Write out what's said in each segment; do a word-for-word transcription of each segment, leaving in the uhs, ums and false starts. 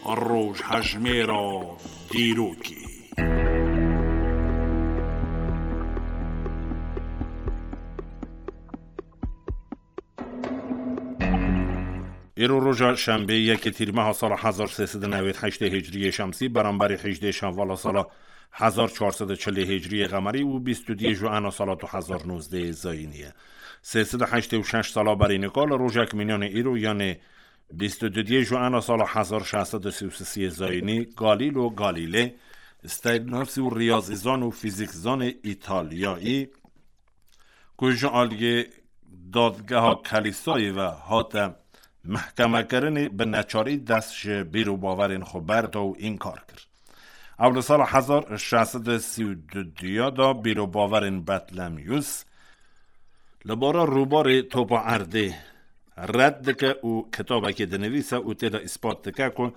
Rojhejmêra dîrokê. Îro roja şembê yekê tîrmeha sala hezar sê sed û newêd heştê hicriyê şemsî, beramberî hejdê şevala sala hezar çar sed û çilê hicriyê qemerî û bîst û duyê Joana sala du hezar nozdeh zayînî ye. Sê sed û heştê û şeş sala berî nika li rojek mînanê îro, yanê bîst û duyê Joana sala hezar şeş sed û sî û sê zayînî, Galîlo Galîlê, sternasî û riyazîzan û fîzîkzanê Îtalyayî, ku ji aliyê dadgeha Kelîsayê ve hate mehkemekirinê, bi neçarî dest ji bîr û bawerên xwe berda û înkar kir. Ew li sala hezar şeş sed û sî û du ya da bîr û bawerên Betlemyus li bara rûbarê topa erdê red dike û kitabekê dinivîse û tê de îspat dike ku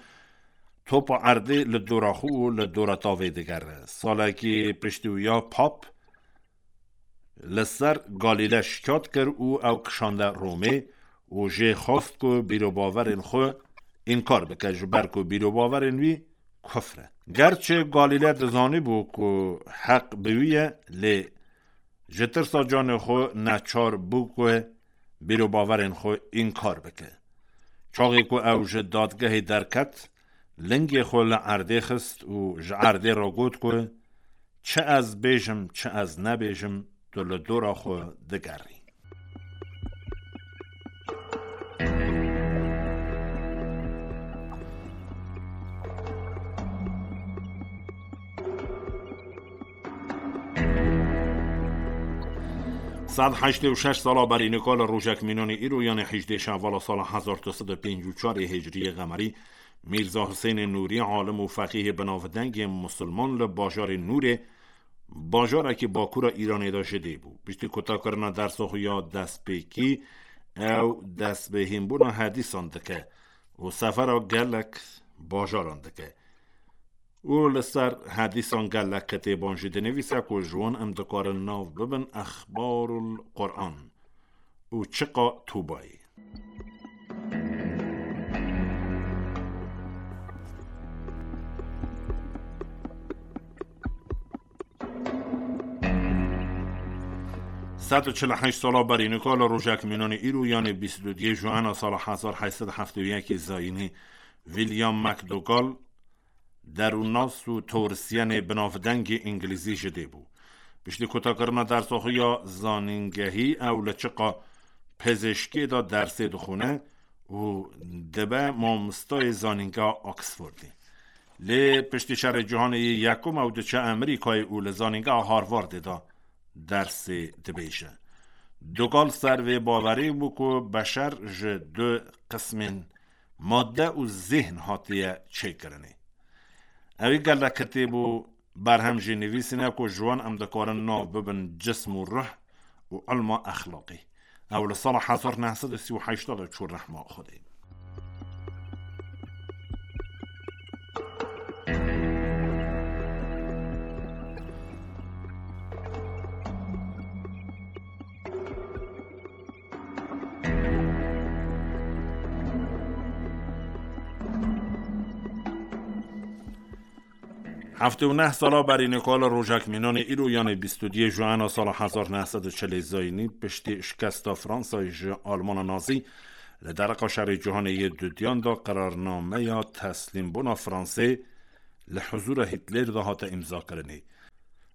topa erdê li dora xwe û li dora tavê digere. Salekî piştî wî ya pap li ser Galîle şikayet kir û ew kişande Romê û jê xwest ku bîr û bawerên xwe înkar bike, ji ber ku bîr û bawerên wî kufr e. Gerçi Galîle dizanîbû ku heq bi wî ye, lê ji tirsa canê xwe neçar bû ku bîr û bawerên xwe înkar bike. Çaxê ku ew ji dadgehê derket, lingê xwe li erdê xist û ji erdê re got ku, "Çi ez bêjim, çi ez nebêjim, tu li dora xwe digerî." Sed heştê û şeş sala berî nika li rojek mînanê îro, yanê hejdê şevala sala hezar du sed û pêncî û çar hicriyê qemerî, Mîrza Husênê Nûrî, alim û feqîhê binavdengê musulman, li bajarê Nûrê, bajarekî bakûra Îranê de ji dê bû. Piştî kutakirina dersa xwe ya destpêkî, ew dest bi hînbûna hedîsan dike û sefera gelek bajaran dike. Û li ser hedîsan gelek kitêban jî dinivîse ku ji wan em dikarin nav bibin Exbarul Quran û Çiqa Tûbayê. Sed û çil û heşt sala berî nika li rojek mînanê îro, yanê bîst û duyê Joana sala hezar heşt sed û heftê û yekê zayînî, William McDougall, derûnnas û teorisyenê binavdengê îngilîzî ji dê bû. Piştî kutakirina dersa xwe ya zanîngehî, ew li çiqa pizîşkê de dersê dixwine û dibe mamostayê zanîngeha Oxfordê. Lê piştî Şerê Cîhanê yê Yekum ew diçe Amerîkayê û li zanîngeha Harvardê de dersê dibêje. Dugal ser vê bawerî bû ku beşer ji du qismên madde û zihn hatiye çêkirinê. Ew ê gelek kitêb û berhem jî nivîsîne ku ji wan em dikarin nav bibin cism û ruh û ilma exlaqî. Ew li sala hezar neh sed û sî û heşt de çû rehma Xwedê. Heftê û neh sala berî nika li rojek mînanê îro, yanê bîst û duyê Joana sala hezar neh sed û çilê zayînî, piştî şikesta Fransayê ji Almana Nazî, li dereqa Şerê Cîhanê yê Dudiyan de qerarnameya teslîmbûna Fransê li huzûra Hîtler de hate îmzakirinê.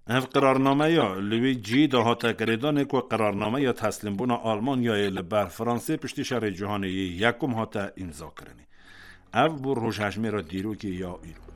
Ev qerarnameya li wê cihî de hate girêdanê ku qerarnameya teslîmbûna Almanyayê li ber Fransê piştî Şerê Cîhanê yê Yekum hate îmzakirinê. Ev bû rojhejmêra dîrokê ya îro.